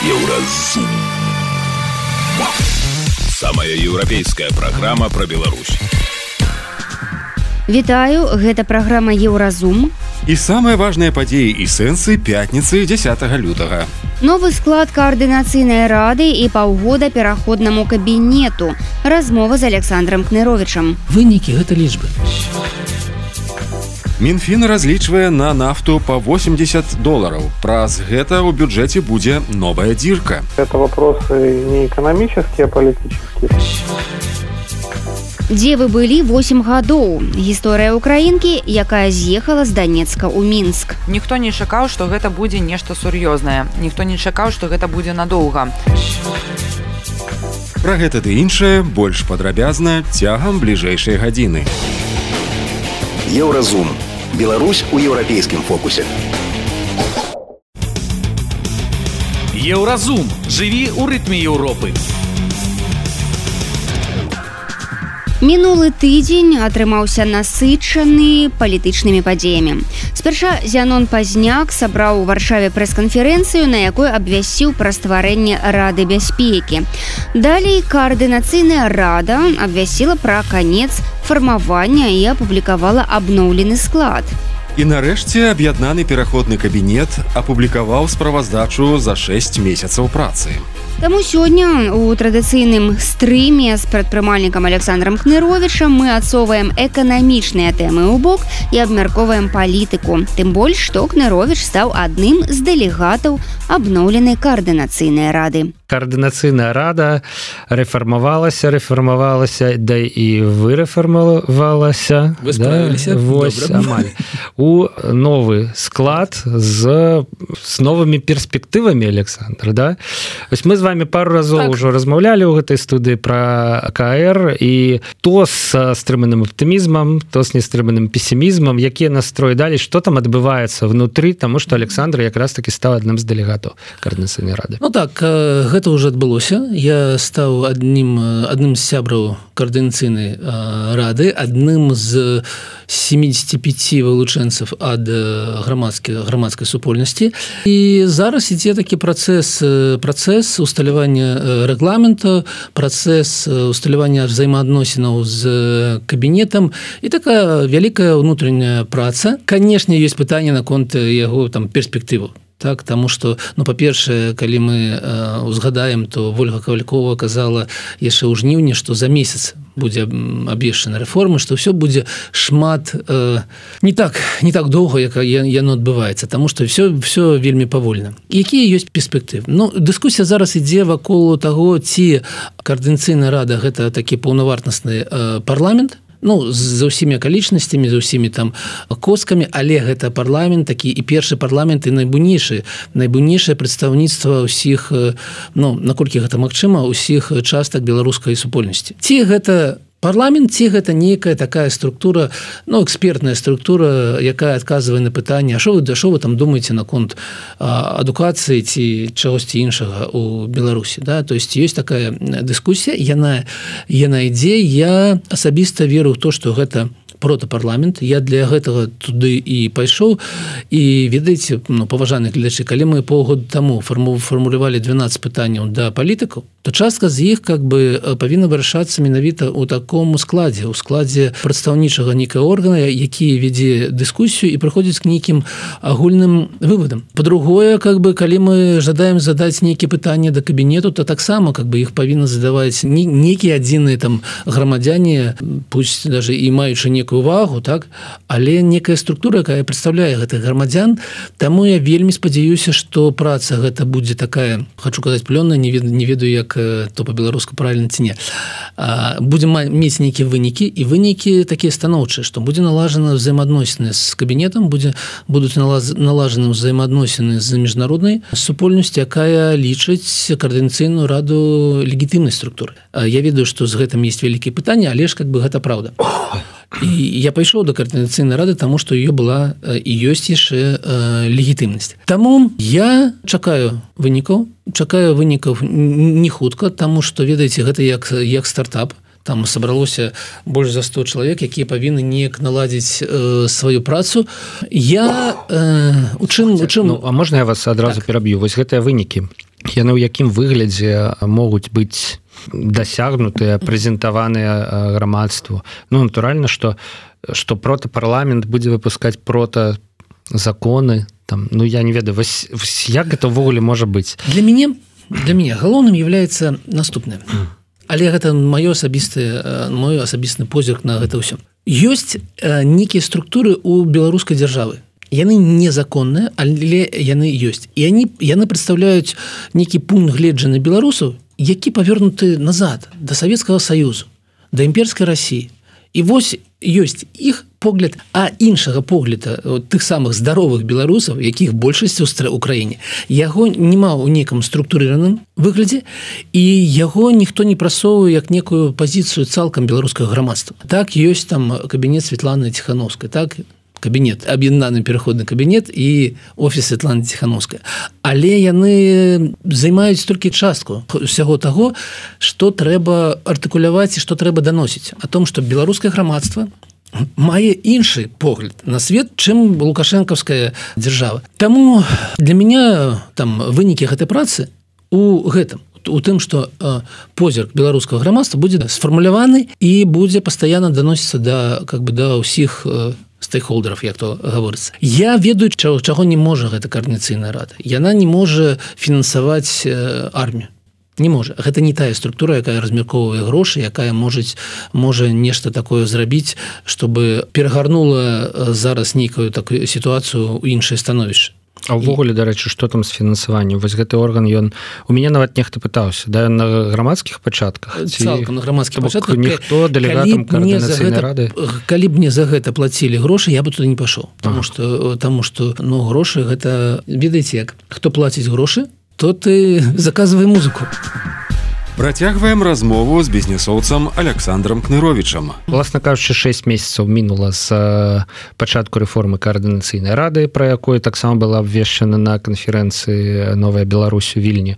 Еўразум. Самая еўрапейская праграма пра Беларусь. Вітаю, гэта праграма Еўразум. І самыя важныя падзеі і сэнсы пятніцы 10 лютага. Новы склад каардынацыйнай рады і паўгода пераходнаму кабінету. Размова з Александром Кныровичам. Вынікі гэта лічбы. Мінфін разлічвае на нафту по $80. Праз гэта ў бюджэце будзе новая дзірка. Это вопросы не экономические, а политические. Дзе вы былі 8 гадоў? Гісторыя украінкі, якая з'ехала з Донецка ў Мінск. Ніхто не чакаў, што гэта будзе нешта сур'ёзнае. Ніхто не чакаў, што гэта будзе надоўга. Пра гэта ды іншае больш падрабязна цягам бліжэйшай гадзіны. Еўразум. Беларусь у еўрапейскім фокусе. Еўразум. Жыві ў рытме Еўропы. Мінулы тыдзень атрымаўся насычаны палітычнымі падзеямі. Спярша Зянон Пазняк сабраў у Варшаве прэс-канферэнцыю, на якой абвясціў пра стварэнне Рады бяспекі. Далей каардынацыйная рада абвясціла пра канец фармавання і апублікавала абноўлены склад. І нарэшце аб'яднаны пераходны кабінет апублікаваў справаздачу за 6 месяцаў працы. Таму сёння у традыцыйным стрыме з прадпрымальнікам Александром Кныровичам мы адсоўваем эканамічныя тэмы ў бок і абмяркоўваем палітыку. Тым больш, што Кнырович стаў адным з дэлегатаў абноўленай каардынацыйнай рады. Каардынацыйная рада рэфармавалася, да і вырэфармавалася. Вы справіліся? Вось, амаль. У новы склад з новымі перспектывамі, Александр, да? Вось мы з вами пару разоў ўжо размаўлялі ў гэтай студыі пра КР, і то з стрыманым аптымізмам, то з нестрыманым песімізмам, якія настроі далі, што там адбываецца внутры, таму што Александр якраз такі стаў адным з дэлегатаў каардынацыйнай рады. Ну так, гэта ўжо адбылося. Я стаў адным з сябраў каардынацыйнай рады, адным з 75 вылучэнцаў ад грамадскай супольнасці. І зараз ідзе такі працэс усталявання рэгламента, працэс усталявання взаемаадносінаў з кабінетам і такая вялікая ўнутраняя праца. Канешне, ёсць пытанне наконт яго там перспектыву. Так, таму што, па-першае, калі мы узгадаем, то Вольга Кавалькова казала яшчэ ў жніўні, што за месяц будзе абвешчана рэформа, што ўсё будзе шмат не так доўга, як яно адбываецца, таму што ўсё вельмі павольна. Якія ёсць перспектывы? Дыскусія зараз ідзе вакол таго, ці каардынацыйная рада гэта такі паўнавартасны парламент, за ўсімі акалічнасцямі, за ўсімі там коскамі, але гэта парламент такі і першы парламент і найбуйнейшае прадстаўніцтва ўсіх, наколькі гэта магчыма, ўсіх частак беларускай супольнасці. Ці гэта парламент, ці гэта нейкая такая структура, экспертная структура, якая адказвае на пытанне, а што вы там думаеце наконт адукацыі ці чагосьці іншага ў Беларусі, да? То есть ёсць такая дыскусія, яна ідзе. Я асабіста веру ў то, што гэта протапарламент. Я для гэтага туды і пайшоў. І ведаеце, паважаныя гледачы, калі мы паўгода таму фармулявалі 12 пытанняў да палітыкаў, то частка з іх павінна вырашацца менавіта ў такому складзе, у складзе прадстаўнічага нейкага органа, які вядзе дыскусію і прыходзіць к нейкім агульным вывадам. Па-другое, калі мы жадаем задаць нейкія пытанні да кабінету, то таксама іх павінна задаваць нейкія адзіныя там грамадзяне, пусть даже і маючы некую увагу, так, але некая структура, якая прадстаўляе гэтых грамадзян. Таму я вельмі спадзяюся, што праца гэта будзе такая, хочу казаць, плённая, не ведаю, як то па-беларуску правільна ці не. Будзем мець нейкія вынікі, і вынікі такія станоўчыя, што будзе налажана взаемаадносіны з кабінетам, будуць налажаны взаемаадносіны з міжнароднай супольнасцю, якая лічыць каардынацыйную раду легітымнай структуры. Я ведаю, што з гэтым ёсць вялікія пытанні, але ж гэта праўда. І я пайшоў да каардынацыйнай рады, таму што ее была і ёсць яшчэ легітымнасць. Таму я чакаю вынікаў не хутка, таму што, ведаеце, гэта як стартап. Там сабралося больш за 100 чалавек, якія павінны неяк наладзіць сваю працу. А можна я вас адразу пераб'ю? Вось гэтыя вынікі, яны ў якім выглядзе могуць быць дасягнутыя, прэзентаваныя грамадству. Ну, натуральна, што протапарламент будзе выпускаць законы, там, ну, я не ведаю, як гэта ўвогуле можа быць? Для мяне галоўным являецца наступнае. Але гэта мой асабісты позірк на гэта ўсё. Ёсць нейкія структуры ў беларускай дзяржавы. Яны незаконныя, але яны ёсць. І яны прадстаўляюць нейкі пункт гледжання беларусаў, які павернуты назад, да Савецкага Саюзу, да імперскай Расіі. І вось ёсць іх погляд, а іншага погляда тых самых здаровых беларусаў, якіх большасць у краіне, яго няма ў нейкім структурыраным выглядзе, і яго ніхто не прасоўвае як некую пазіцыю цалкам беларускага грамадства. Так, ёсць там кабінет Светланы Ціхановскай, так, кабінет, аб'яднаны пераходны кабінет і офіс Светланы Ціхановскай. Але яны займаюць толькі частку ўсяго таго, што трэба артыкуляваць і што трэба даносіць. О том, што беларускае грамадства мае іншы погляд на свет, чым лукашэнкаўская дзяржава. Таму для мяне там вынікі гэтай працы у гэтым, у тым, што позірк беларускага грамадства будзе сфармуляваны і будзе пастаянна даносіцца да ўсіх стейкхолдеров, як то гаворыцца. Я ведаю, чаго не можа гэта каардынацыйная рада. Яна не можа фінансаваць армію. Не можа. Гэта не тая структура, якая размяркоўвае грошы, якая можа нешта такое зрабіць, чтобы перагарнула зараз нейкую такую сітуацыю ў іншае становішча. А ўвогуле, дарэчы, што там з фінансаваннем? Вось гэты орган, у мяне нават нехта пытаўся, да, на грамадскіх пачатках? Цалкам на грамадскіх пачатках. Ніхто дэлегатам каардынацыйнай рады? Калі б мне за гэта плацілі грошы, я бы туды не пашоў. Таму што грошы гэта, ведаеце як, хто плаціць грошы, то ты заказвай музыку. Працягваем размову з бізнесоўцам Александром Кныровічам. Власна кажучы, 6 месяцаў мінула з пачатку рэформы каардынацыйнай рады, пра якой таксама была абвешчана на канферэнцыі «Новая Беларусь» у Вільні,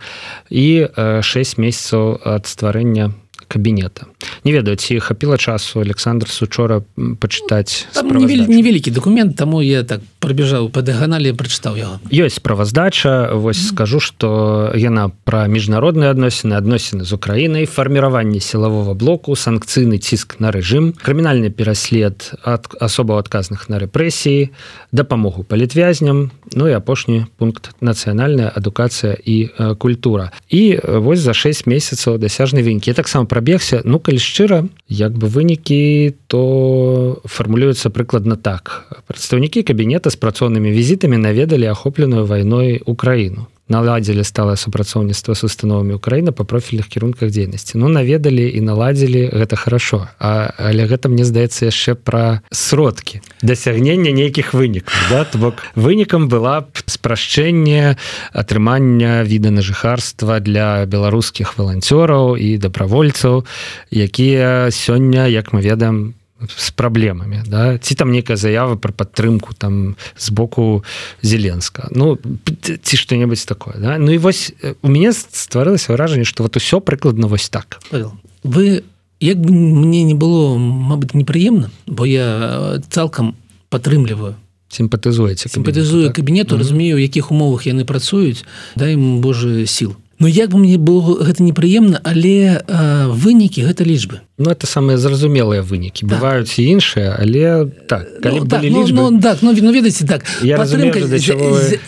і 6 месяцаў ад стварэння кабінета. Не ведаю, ці хапіла часу Александр учора пачытаць справаздачу? Невялікі дакумент, таму я так прабежаў па дыяганалі, прачытаў яго. Ёсць справаздача, вось скажу, што яна пра міжнародныя адносіны з Украінай, фарміраванне сілавога блоку, санкцыйны ціск на рэжым, крымінальны пераслед асобаў адказных на рэпрэсіі, дапамогу палітвязням, ну і апошні пункт нацыянальная адукацыя і культура. І вось за 6 месяцаў дасяжны вынікі. Я таксама прабегся, ну, калі шчыра, як бы вынікі, то фармулююцца прыкладна так. Прадстаўнікі кабінета з працоўнымі візітамі наведалі ахопленую вайной Украіну. Наладзілі сталае супрацоўніцтва з установамі Украіны па профільных кірунках дзейнасці. Ну, наведалі і наладзілі, гэта хорошо. Але гэта, мне здаецца, яшчэ пра сродкі дасягнення нейкіх вынікаў. Да? То бок вынікам была спрашчэнне атрымання віда на жыхарства для беларускіх валанцёраў і дабравольцаў, якія сёння, як мы ведаем, з праблемамі, да? Ці там нейкая заява пра падтрымку там з боку Зеленска, ну, ці што-небудзь такое, да? Ну і вось у мяне стварылася ўражанне, што вот усё прыкладна вось так. Павел, вы, як бы мне не было, мабыць, непрыемна, бо я цалкам падтрымліваю, сімпатызую кабінету, разумею, у якіх умовах яны працуюць, дай ім Божы сіл. Ну, як бы мне было гэта непрыемна, але вынікі гэта лічбы. Ну, это самыя зразумелыя вынікі. Бываюць і іншыя, але так, калі б былі лічбы... Ну, ведаеце, так,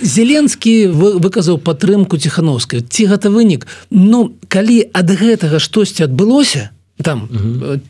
Зеленскі выказаў падтрымку Ціхановскай. Ці гэта вынік? Ну, калі ад гэтага штосьці адбылося, там,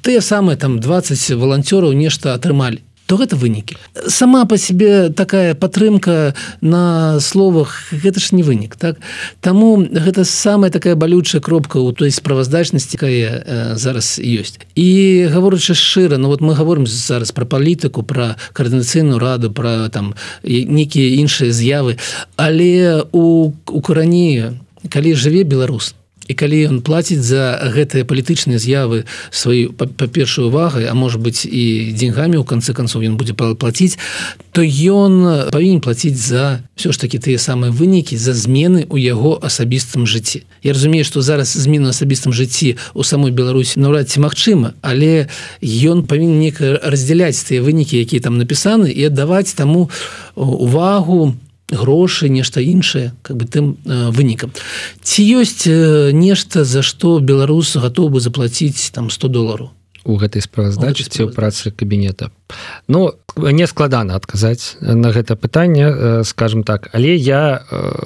тыя самыя там 20 валанцёраў нешта атрымалі, то гэта вынікі. Сама па сябе такая падтрымка на словах, гэта ж не вынік, так? Таму гэта самая такая балючая кропка ў той справаздачнасці, якая зараз ёсць. І гаворачы шчыра, ну вот мы гаворым зараз пра палітыку, пра каардынацыйную раду, пра там нейкія іншыя з'явы, але у карані, калі жыве беларус, і калі ён плаціць за гэтыя палітычныя з'явы сваю па-першую увагай, а можа быць і деньгамі ў канцы канцоў ён будзе плаціць, то ён павінен плаціць за ўсё ж такі тыя самыя вынікі, за змены ў яго асабістым жыцці. Я разумею, што зараз змены ў асабістым жыцці ў самой Беларусі наўрад ці магчыма, але ён павінен неяк раздзяляць тыя вынікі, якія там напісаны, і аддаваць таму увагу грошы, нешта іншае, как бы тым вынікам. Ці ёсць нешта, за што беларус гатоў бы заплаціць там $100 у гэтай справаздачы ці ў працы кабінета? Ну, не складана адказаць на гэта пытанне, скажем так, але я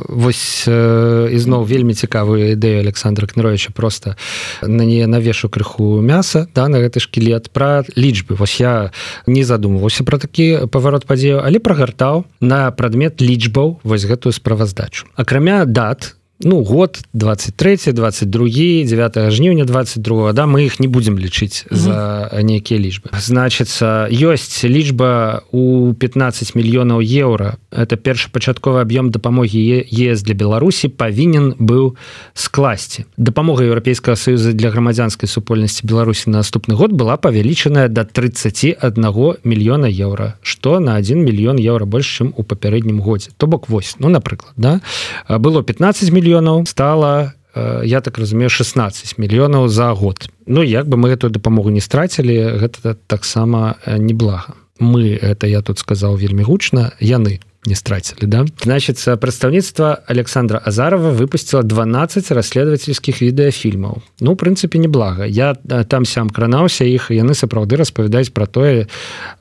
вось ізноў вельмі цікавую ідэю Александра Кныровича просто на не навешу крыху мяса, да, на гэты шкілет пра лічбы. Вось я не задумваўся пра такі паварот падзею, але прагартаў на прадмет лічбаў вось гэтую справаздачу. Акрамя дат, ну, год 23, 22, 9 жніўня 22, да, мы іх не будзем лічыць за нейкія лічбы. Значыцца, ёсць лічба у 15 мільёнаў еўра. Это першапачатковы аб'ём дапамогі ЕС для Беларусі павінен быў скласці. Дапамога Еўрапейскага Саюза для грамадзянскай супольнасці Беларусі на наступны год была павялічаная да 31 мільёна еўра, што на 1 мільён еўра больш, чым у папярэднім годзе. То бок вось, ну, напрыклад, да, было 15 мільёнаў, стала, я так разумею, 16 мільёнаў за год. Ну, як бы мы гэтую дапамогу не страцілі, гэта таксама неблага. Мы, это я тут сказаў вельмі гучна, яны не страцілі, да? Значит, прадстаўніцтва Александра Азарова выпусціла 12 расследовательскіх відэафільмаў. Ну, в прынцыпе, неблага. Я там-сям кранаўся іх, і яны сапраўды распавядаюць пра тое,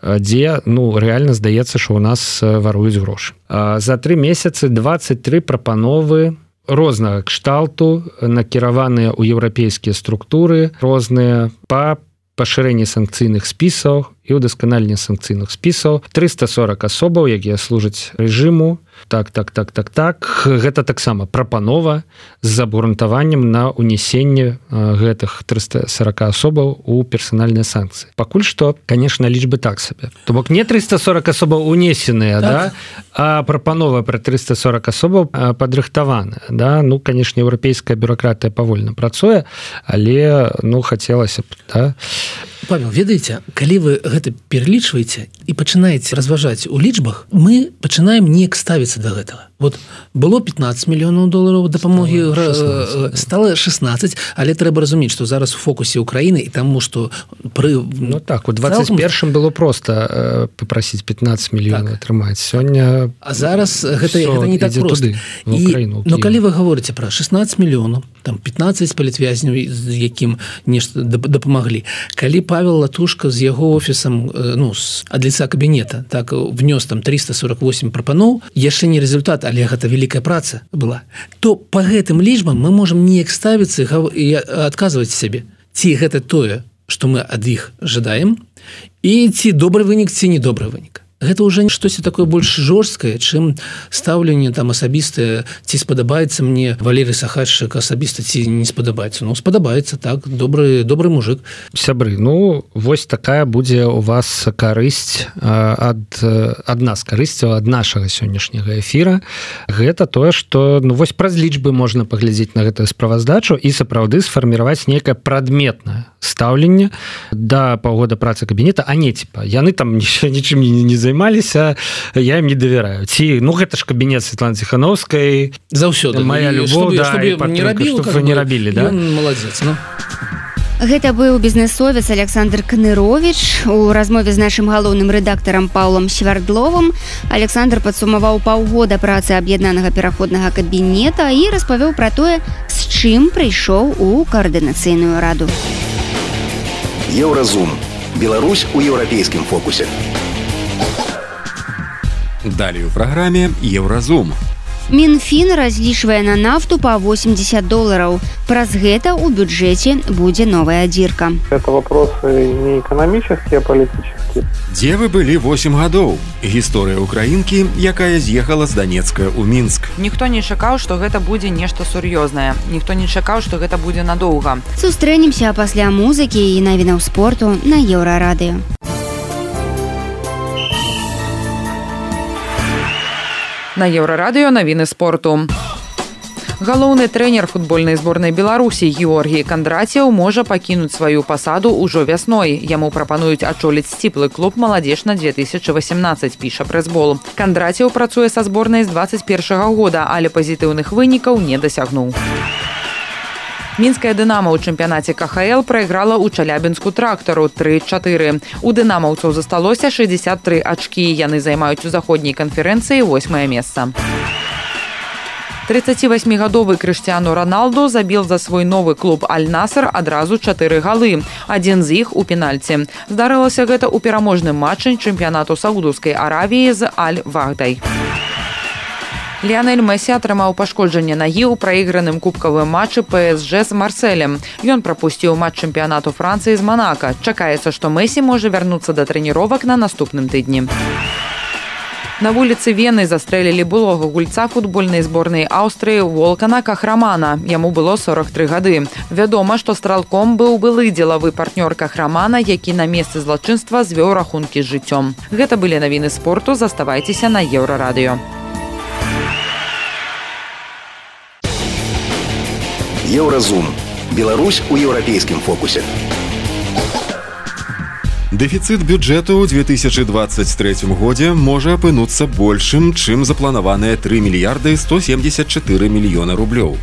дзе, ну, рэальна здаецца, што ў нас варуюць грошы. За 3 месяцы 23 прапановы рознага кшталту, накіраваныя ў еўрапейскія структуры, розныя па пашырэнні санкцыйных спісаў і ўдасканаленне санкцыйных спісаў. 340 асобаў, якія служаць рэжыму. Так. Гэта таксама прапанова з абгрунтаваннем на ўнесенне гэтых 340 асобаў у персанальныя санкцыі. Пакуль што, конечно, лічбы так сабе. То бок не 340 асобаў унесеныя, так, да, а прапанова пра 340 асобаў падрыхтаваная. Да? Ну, конечно, еўрапейская бюракратыя павольна працуе, але, ну, хацелася б, да. Павел, ведаеце, калі вы гэта пералічваеце і пачынаеце разважаць у лічбах, мы пачынаем неяк ставіцца да гэтага. Вот было 15 мільёнаў долараў дапамогі, стала 16, але трэба разумець, што зараз у фокусе Украіны і таму, што пры... Ну так, у 21-м было проста папрасіць 15 мільёнаў атрымаць. Сёння... А зараз гэта не так проста. Но калі вы говорыце пра 16 мільёнаў, там 15 палітвязняў, з якім нешта дапамаглі, калі Павел Латушка з яго офісам, ну, ад лица кабінета, так, внёс там 348 прапаноў, яшчэ не результат, але гэта вялікая праца была, то па гэтым лічбам мы можам неяк ставіцца і адказваць сябе, ці гэта тое, што мы ад іх жадаем, і ці добры вынік, ці не добры вынік. Гэта ўжо штосьці такое больш жорсткае, чым стаўленне там асабістае, ці спадабаецца мне Валерый Сахаччык асабіста, ці не спадабаецца. Ну, спадабаецца, так, добры мужик. Сябры, ну, вось такая будзе у вас карысць ад нас, карысць ад нашага сённяшняга эфіра. Гэта тое, што, ну, вось праз лічбы можна паглядзець на гэтую справаздачу і сапраўды сфарміраваць нейкае прадметнае стаўленне да паўгода працы кабінета, а не, типа, яны там нічым не займаліся, я ім не давяраю. Ці, ну, гэта ж кабінет Светланы Ціхановскай. Заўсёды. Моя любоў, да, і падтрымка, што вы не рабілі, да? Ён маладзец, ну. Гэта быў бізнесовец Александр Кнырович. У размове з нашым галоўным рэдактарам Паўлам Свярдловым Александр падсумаваў паўгода працы аб'яднанага пераходнага кабінета і распавёў пра тое, з чым прыйшоў у каардынацыйную раду. Еўразум. Беларусь у еўрапейскім фокусе. Далее в программе Евразум. Мінфін разлічвае на нафту по $80. Праз гэта ў бюджэце будзе новая дзірка. Это вопросы не экономические, а политические. Дзе вы былі 8 гадоў? Гісторыя украінкі, якая з'ехала з Донецка ў Мінск. Ніхто не чакаў, што гэта будзе нешта сур'ёзнае. Ніхто не чакаў, што гэта будзе надоўга. Сустрэнемся пасля музыкі і навінаў спорту на Еўрарадыё. На Еўрарадыё навіны спорту. Галоўны трэнер футбольнай зборнай Беларусі Георгій Кандраціў можа пакінуць сваю пасаду ўжо вясной. Яму прапануюць ачоліць сціплы клуб «Маладзежна 2018», піша прэсбол. Кандраціў працуе са зборнай з 21 года, але пазітыўных вынікаў не дасягнуў. Мінская «Дынамо» ў чэмпіянаце КХЛ прайграла ў Чалябінску «Трактару» 3-4. У дынамаўцаў засталося 63 ачкі. Яны займаюць у заходняй канферэнцыі 8-е месца. 38-гадовы Крыштиану Роналду забіл за свой новы клуб «Аль-Наср» адразу 4 галы. Адзін з іх у пенальці. Здарылася гэта ў пераможным матчы чэмпіянату Саудаўскай Аравіі з Аль-Вахдай. Ліанель Месі атрымаў пашкоджанне нагі ў праіграным кубкавым матчы ПСЖ з Марселем. Ён прапусціў матч чэмпіянату Францыі з Манака. Чакаецца, што Месі можа вярнуцца да трэніровак на наступным тыдні. На вуліцы Вены застрэлілі былога гульца футбольнай зборнай Аўстрыі Волкана Кахрамана. Яму было 43 гады. Вядома, што стралком быў былы дзелавы партнёр Кахрамана, які на месцы злачынства звёў рахункі з жыццём. Гэта былі навіны спорту. Заставайцеся на Еўрарадыё. Еўразум. Беларусь у еўрапейскім фокусе. Дэфіцыт бюджэту ў 2023 годзе можа апынуцца большым, чым запланаваныя 3 мільярды 174 мільёна рублёў.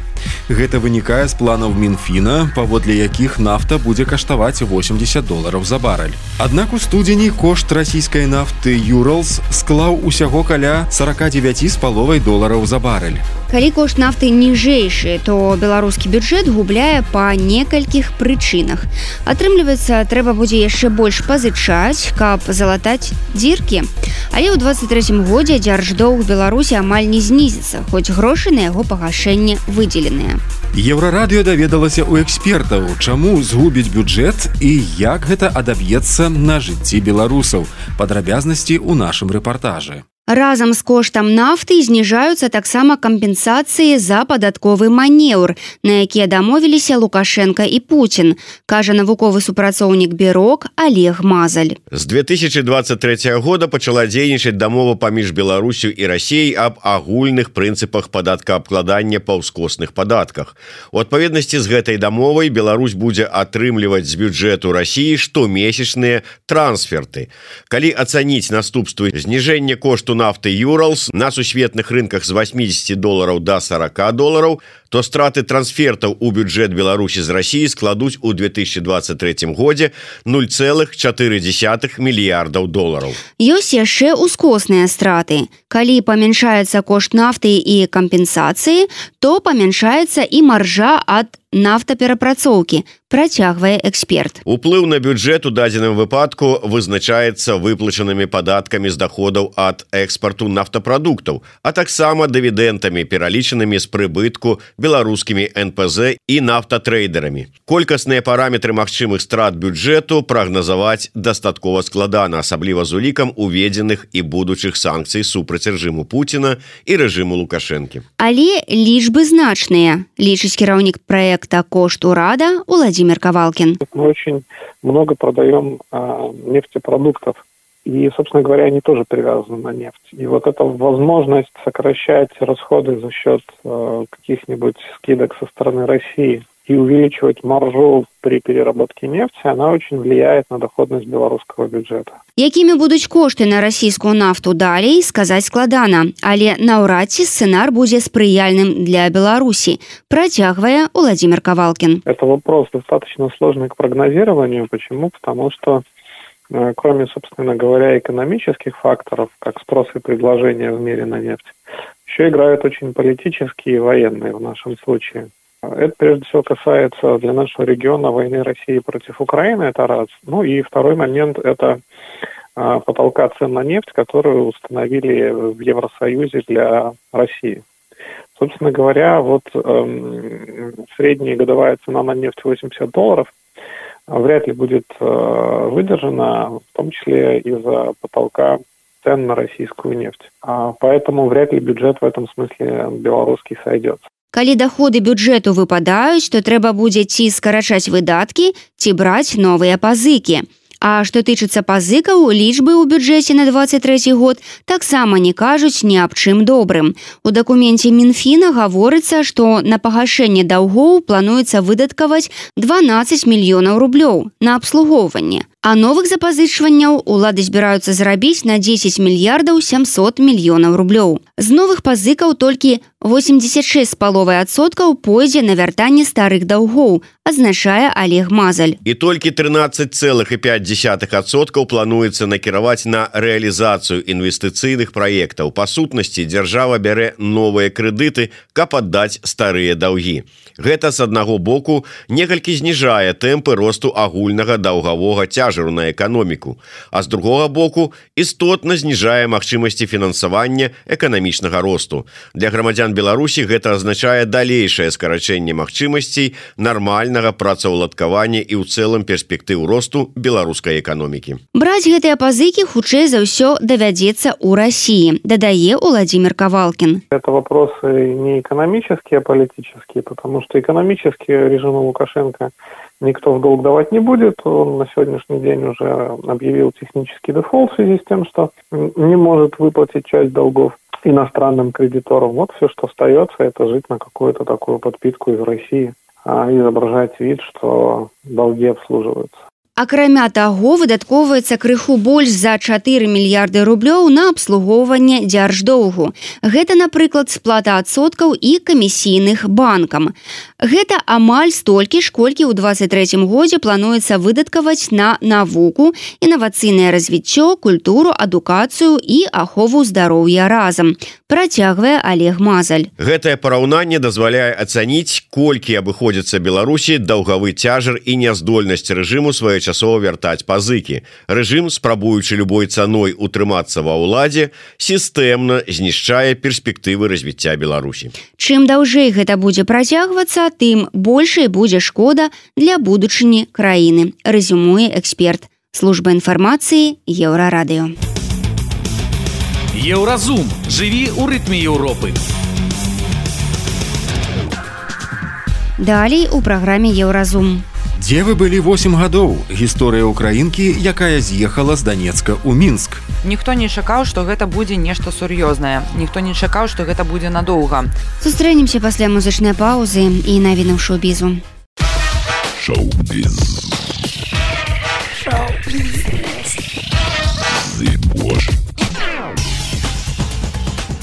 Гэта вынікае з планаў Мінфіна, паводле якіх нафта будзе каштаваць $80 за барэль. Аднак у студзені кошт расійскай нафты «Юралс» склаў усяго каля $49,5 за барэль. Калі кошт нафты ніжэйшы, то беларускі бюджэт губляе па некалькіх прычынах. Атрымліваецца, трэба будзе яшчэ больш пазычаць, каб залатаць дзіркі. Але ў 23 годзе дзярждоўг Беларусі амаль не знізіцца, хоць грошы на яго пагашэнне выдзеленыя. Еўрарадыё даведалася ў экспертаў, чаму згубіць бюджэт і як гэта адаб'ецца на жыцці беларусаў. Падрабязнасці ў нашым рэпартажы. Разам з коштам нафты зніжаюцца таксама кампенсацыі за падатковы манеўр, на якія дамовіліся Лукашенко і Путін, кажа навуковы супрацоўнік Бюро Олег Мазаль. З 2023 года пачала дзейнічаць дамова паміж Беларусю і Расіяй аб агульных прынцыпах падаткаабкладання па ўскосных падатках. У адпаведнасці з гэтай дамовай Беларусь будзе атрымліваць з бюджэту Расіі штомесячныя трансферты. Калі ацаніць наступствы зніжэння кошту нафты «Юралс» на сусветных рынках з $80 до $40, то страты трансфертаў у бюджэт Беларусі з Расіі складуць у 2023 годзе $0,4 мільярдаў. Ёсць яшчэ ускосныя страты. Калі памяншаецца кошт нафты і кампенсацыі, то памяншаецца і маржа ад нафтаперапрацоўкі, працягвае эксперт. Уплыў на бюджэт у дадзеным выпадку вызначаецца выплачанымі падаткамі з даходаў ад экспарту нафтапрадуктаў, а таксама дывідэнтамі, пералічанымі з прыбытку беларускімі НПЗ і нафтатрейдерамі. Колькасныя параметры магчымых страт бюджэту прагназаваць дастаткова складана, асабліва з улікам уведзеных і будучых санкцый супраць рэжыму Пуціна і рэжыму Лукашэнкі. Але лічбы значныя, лічыць кіраўнік проекта «Кошт Урада» Владимир Ковалкин. Мы очень много продаем нефтепродуктов. И, собственно говоря, они тоже привязаны на нефть. И вот эта возможность сокращать расходы за счет каких-нибудь скидок со стороны России и увеличивать маржу при переработке нефти, она очень влияет на доходность белорусского бюджета. Якімі будуць кошты на расійскую нафту далей, сказаць складана, але наўрад ці сцэнар будзе спрыяльным для Беларусі, працягвае Владимир Ковалкин. Это вопрос достаточно сложный к прогнозированию. Почему? Потому что кроме, собственно говоря, экономических факторов, как спрос и предложение в мире на нефть, еще играют очень политические и военные в нашем случае. Это, прежде всего, касается для нашего региона войны России против Украины, это раз. Ну и второй момент – это потолка цен на нефть, которую установили в Евросоюзе для России. Собственно говоря, вот средняя годовая цена на нефть $80 вряд ли будет выдержана, в том числе из-за потолка цен на российскую нефть. Поэтому вряд ли бюджет в этом смысле белорусский сойдется. Калі даходы бюджэту выпадаюць, то трэба будзе ці скарачаць выдаткі, ці браць новыя пазыкі. А што тычыцца пазыкаў, лічбы ў бюджэце на 23 год таксама не кажуць ні аб чым добрым. У дакуменце Мінфіна гаворыцца, што на пагашэнне даўгоў плануецца выдаткаваць 12 мільёнаў рублёў на абслугоўванне. А новых запазычванняў улады збіраюцца зарабіць на 10 мільярдаў 700 мільёнаў рублёў. З новых пазыкаў толькі 86,5% пойдзе на вяртанне старых даўгоў, азначае Олег Мазаль. І толькі 13,5% плануецца накіраваць на рэалізацыю інвестыцыйных праектаў. Па сутнасці, дзяржава бярэ новыя крэдыты, каб аддаць старыя даўгі. Гэта, з аднаго боку, некалькі зніжае тэмпы росту агульнага даўгавога цяжару на эканоміку, а з другога боку, істотна зніжае магчымасці фінансавання эканамічнага росту. Для грамадзян Беларусі гэта азначае далейшае скарачэнне магчымасцей нармальнага працаўладкавання і ў цэлым перспектыў росту беларускай эканомікі. Браць гэтыя пазыкі хутчэй за ўсё давядзецца ў Расіі, дадае Владимир Ковалкин. Это вопросы не экономические, а политические, потому что экономические режиму Лукашенко никто в долг давать не будет. Он на сегодняшний день уже объявил технический дефолт в связи с тем, что не может выплатить часть долгов иностранным кредиторам. Вот все, что остается, это жить на какую-то такую подпитку из России, изображать вид, что долги обслуживаются. Акрамя таго, выдаткоўваецца крыху больш за 4 мільярды рублёў на абслугоўванне дзярждоўгу. Гэта, напрыклад, сплата адсоткаў і камісійных банкам. Гэта амаль столькі ж, колькі ў 23 годзе плануецца выдаткаваць на навуку, інавацыйнае развіццё, культуру, адукацыю і ахову здароўя разам, працягвае Олег Мазаль. Гэтае параўнанне дазваляе ацаніць, колькі абыходзіцца Беларусі даўгавы цяжар і няздольнасць рэжыму своечасова вяртаць пазыкі. Рэжым, спрабуючы любой цаной утрымацца ва ўладзе, сістэмна знішчае перспектывы развіцця Беларусі. Чым даўжэй гэта будзе працягвацца, тым большай будзе шкода для будучыні краіны, рэзюмуе эксперт. Служба інфармацыі Еўрарадыё. Еўразум. Жыві ў рытме Еўропы. Далей у праграме Еўразум. Дзе вы былі 8 гадоў? Гісторыя украінкі, якая з'ехала з Данецка ў Мінск. Ніхто не чакаў, што гэта будзе нешта сур'ёзнае. Ніхто не чакаў, што гэта будзе надоўга. Сустрэнемся пасля музычнай паўзы і навінаў шоу-бізу. Шоу-біз.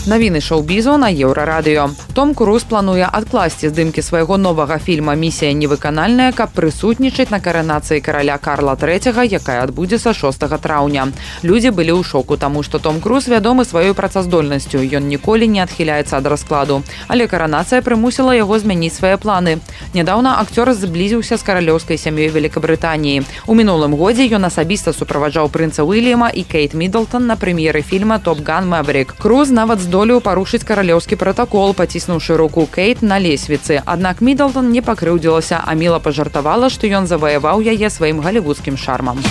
Навіны шоу-бізу на Еўрарадыё. Том Круз плануе адкласці здымкі свайго новага фільма «Місія невыканальная», каб прысутнічаць на каранацыі караля Карла III, якая адбудзецца 6 траўня. Людзі былі ў шоку, таму што Том Круз вядомы сваёй працаздольнасцю. Ён ніколі не адхіляецца ад раскладу. Але каранацыя прымусіла яго змяніць свае планы. Нядаўна акцёр зблізіўся з каралёўскай сям'ёй Великабрытаніі. У мінулым годзе ён асабіста суправаджаў прынца Уільяма і Кейт Міддлтон на прэм'еры фільма «Топ Ган Мэверік». Круз нават здолеў парушыць каралёўскі пратакол, паціснуўшы руку Кейт на лесвіцы. Аднак Міддлтон не пакрыўдзілася, а міла пажартавала, што ён заваяваў яе сваім галівудскім шармам.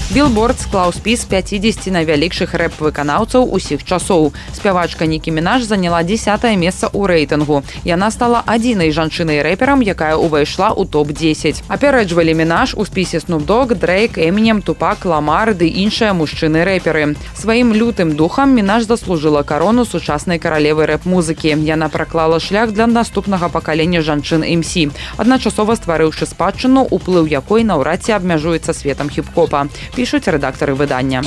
Білборд склаў спіс 50 найвялікшых рэп-выканаўцаў усіх часоў. Спявачка Нікі Мінаж заняла 10-е месца ў рэйтынгу. Яна стала адзінай жанчынай-рэперам, якая ўвайшла ў топ-10. Апярэджвалі Мінаж у спісе Snoop Dogg, Дрейк, Эмінем, Тупак, Ламар ды іншыя мужчыны-рэперы. Сваім лютым духам Мінаж заслужыла карону сучаснай каралевы рэп-музыкі. Яна праклала шлях для наступнага пакалення жанчын-МС, адначасова стварыўшы спадчыну, уплыў якой наўрад ці абмяжуецца светам хіп-хопа, пишуть рэдактары выдання.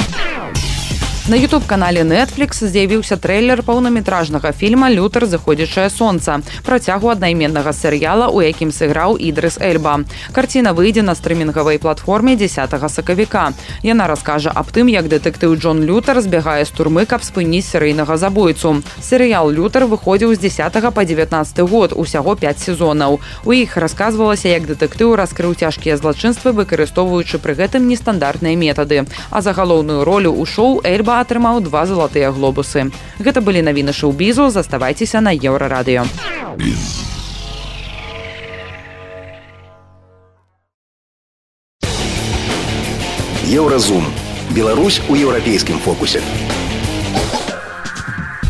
На YouTube-канале Netflix з'явіўся трэйлер паўнаметражнага фільма «Лютер. Заходзячае сонца», працягу аднайменнага серыяла, у якім сыграў Ідрыс Эльба. Карціна выйдзе на стрымінгавай платформе 10 сакавіка. Яна раскажа аб тым, як дэтэктыў Джон Лютер збягае з турмы, каб спыніць серыйнага забойцу. Серыял «Лютер» выходзіў з 10 па 19 год, усяго 5 сезонаў. У іх расказвалася, як дэтэктыў раскрыў цяжкія злачынствы, выкарыстоўваючы пры гэтым нестандартныя метады. А за галоўную ролю ў шоу Эльба атрымаў 2 залатыя глобусы. Гэта былі навіны шоу-бізу, заставайцеся на Еўрарадыё. Еўразум. Беларусь у еўрапейскім фокусе.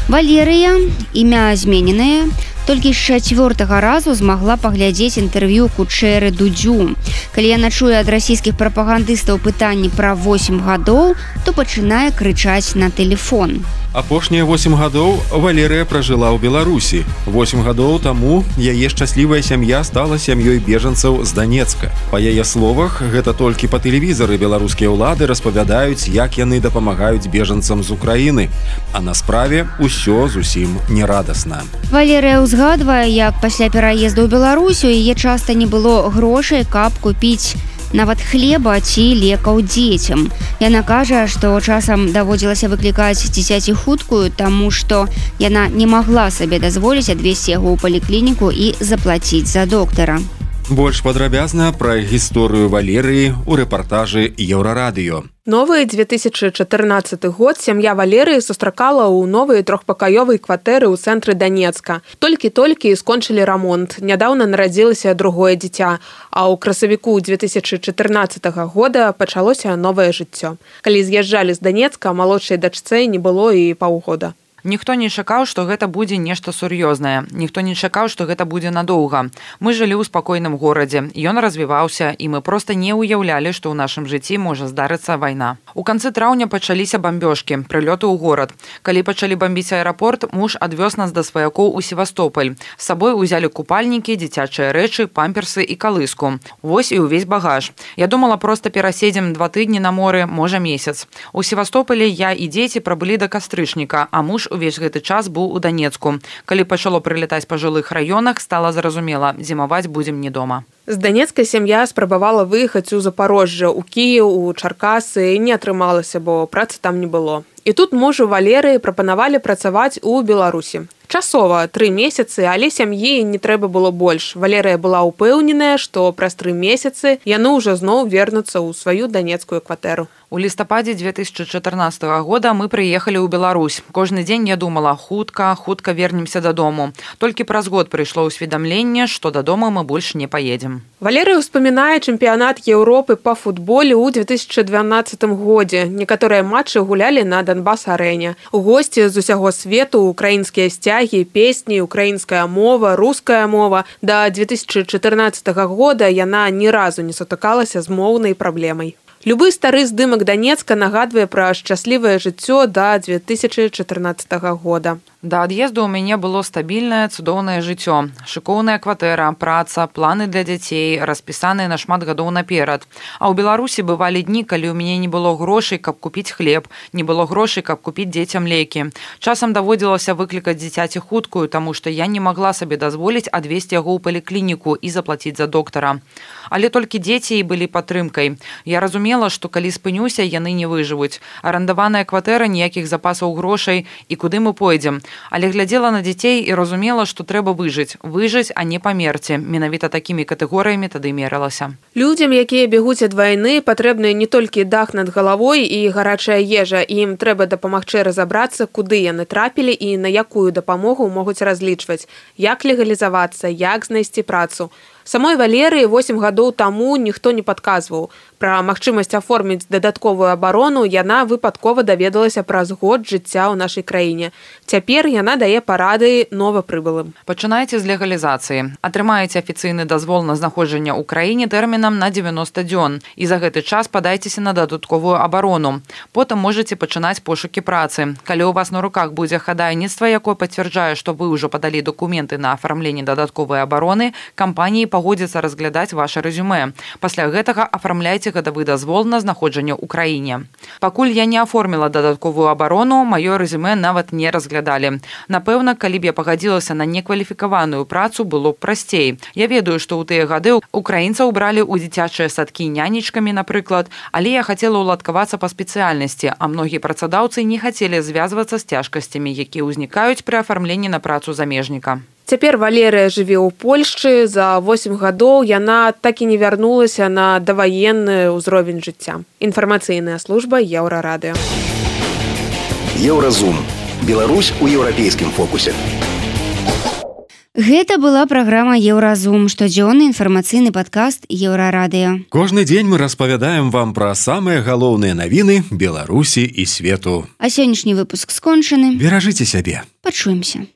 Валерыя, імя змененае, толькі з 4-го разу змагла паглядзець інтэрв'ю Кучэры Дудзю. Калі яна чуе ад расійскіх прапагандыстаў пытанні пра 8 гадоў, то пачынае крычаць на тэлефон. Апошнія 8 гадоў Валерыя пражыла ў Беларусі. 8 гадоў таму яе шчаслівая сям'я стала сям'ёй бежанцаў з Донецка. Па яе словах, гэта толькі па тэлевізары беларускія ўлады распавядаюць, як яны дапамагаюць бежанцам з Украіны. А на справе ўсё зусім не радасна. Валерыя ўзгадвае, як пасля пераезду ў Беларусь у яе часта не было грошай, каб купіць нават хлеба ці лекаў дзецям. Яна кажа, што часам даводзілася выклікаць дзіцяці хуткую, таму што яна не магла сабе дазволіць адвезці яго ў паліклініку і заплаціць за доктара. Больш падрабязна пра гісторыю Валерыі ў рэпартажы Еўрарадыё. Новы 2014 год сям'я Валерыі сустракала ў новай трохпакаёвай кватэры ў цэнтры Донецка. Толькі-толькі скончылі рамонт. Нядаўна нарадзілася другое дзіця, а ў красавіку 2014 года пачалося новае жыццё. Калі з'язджалі з Донецка, малодшай дачцэ не было і паўгода. Ніхто не чакаў, што гэта будзе нешта сур'ёзнае. Ніхто не чакаў, што гэта будзе надоўга. Мы жылі ў спакойным горадзе. Ён развіваўся, і мы проста не ўяўлялі, што ў нашым жыцці можа здарыцца вайна. У канцы траўня пачаліся бамбёжкі, прылёты ў горад. Калі пачалі бамбіць аэрапорт, муж адвёз нас да сваякоў у Севастополь. З сабой узялі купальнікі, дзіцячыя рэчы, памперсы і калыску. Вось і ўвесь багаж. Я думала, проста пераседзем 2 тыдні на моры, можа месяц. У Севастополі я і дзеці прабылі да кастрычніка, а муж увесь гэты час быў у Донецку. Калі пачало прылетаць па жылых раёнах, стала зразумела, зімаваць будзем не дома. З Донецка сям'я спрабавала выехаць у Запорожжа, у Кіеў, у Чаркасы, не атрымалася, бо працы там не было. І тут мужу Валерыі прапанавалі працаваць у Беларусі. Часова, 3 месяцы, але сям'і не трэба было больш. Валерыя была ўпэўненая, што праз 3 месяцы яны ўжо зноў вернуцца ў сваю данецкую кватэру. У лістападзе 2014 года мы прыехалі ў Беларусь. Кожны дзень я думала, хутка вернемся дадому. Толькі праз год прыйшло ўсведамленне, што дадому мы больш не паедзем. Валерыя ўспамінае чэмпіянат Еўропы па футболе ў 2012 годзе. Некаторыя матчы гулялі на Донбас-арэне. Госці з усяго свету, украінскія сцягі, песні, украінская мова, руская мова. Да 2014 года яна ні разу не сутыкалася з моўнай праблемай. Любы стары здымак Донецка нагадвае пра шчаслівае жыццё да 2014 года. Да ад'езду ў мяне было стабільнае, цудоўнае жыццё. Шыкоўная кватэра, праца, планы для дзяцей, распісаныя на шмат гадоў наперад. А ў Беларусі бывалі дні, калі ў мяне не было грошай, каб купіць хлеб, не было грошай, каб купіць дзецям лекі. Часам даводзілася выклікаць дзіцяці хуткую, таму што я не магла сабе дазволіць адвезці яго ў паліклініку і заплаціць за доктара. Але толькі дзеці і былі падтрымкай. Я разумела, што калі спынюся, яны не выжывуць. Арандаваная кватэра, ніякіх запасаў грошай, і куды мы пойдзем. Але глядзела на дзяцей і разумела, што трэба выжыць, а не памерці. Менавіта такімі катэгорыямі тады мералася. Людзям, якія бегуць ад вайны, патрэбны не толькі дах над галавой і гарачая ежа. Ім трэба дапамагчы разабрацца, куды яны трапілі і на якую дапамогу могуць разлічваць, як легалізавацца, як знайсці працу. Самой Валерыі 8 гадоў таму ніхто не падказваў. Пра магчымасць аформіць дадатковую абарону яна выпадкова даведалася праз год жыцця ў нашай краіне. Цяпер яна дае парады новапрыбылым. Пачынайце з легалізацыі. Атрымаеце афіцыйны дазвол на знаходжанне ў краіне тэрмінам на 90 дзён. І за гэты час падайцеся на дадатковую абарону. Потым можаце пачынаць пошукі працы. Калі ў вас на руках будзе хадайніцтва, якое пацвярджае, што вы ўжо падалі дакументы на афармленне дадатковай абароны, кампаніі пагодзіцца разглядаць ваша рэзюмэ. Пасля гэтага афармляйце гадавы дазвол на знаходжанне ў краіне. Пакуль я не аформіла дадатковую абарону, маё рэзюмэ нават не разглядалі. Напэўна, калі б я пагадзілася на некваліфікаваную працу, было б прасцей. Я ведаю, што ў тыя гады украінцаў бралі ў дзіцячыя садкі нянечкамі, напрыклад, але я хацела ўладкавацца па спецыяльнасці, а многія працадаўцы не хацелі звязвацца з цяжкасцямі, якія ўзнікаюць пры афармленні на працу замежніка. Цяпер Валерыя жыве ў Польшчы. За 8 гадоў яна так і не вярнулася на даваенны ўзровень жыцця. Інфармацыйная служба Еўрарадыё. Еўразум. Беларусь у еўрапейскім фокусе. Гэта была праграма Еўразум, штодзённы інфармацыйны падкаст Еўрарадыё. Кожны дзень мы распавядаем вам пра самыя галоўныя навіны Беларусі і свету. А сённяшні выпуск скончаны. Беражыце сябе. Пачуемся.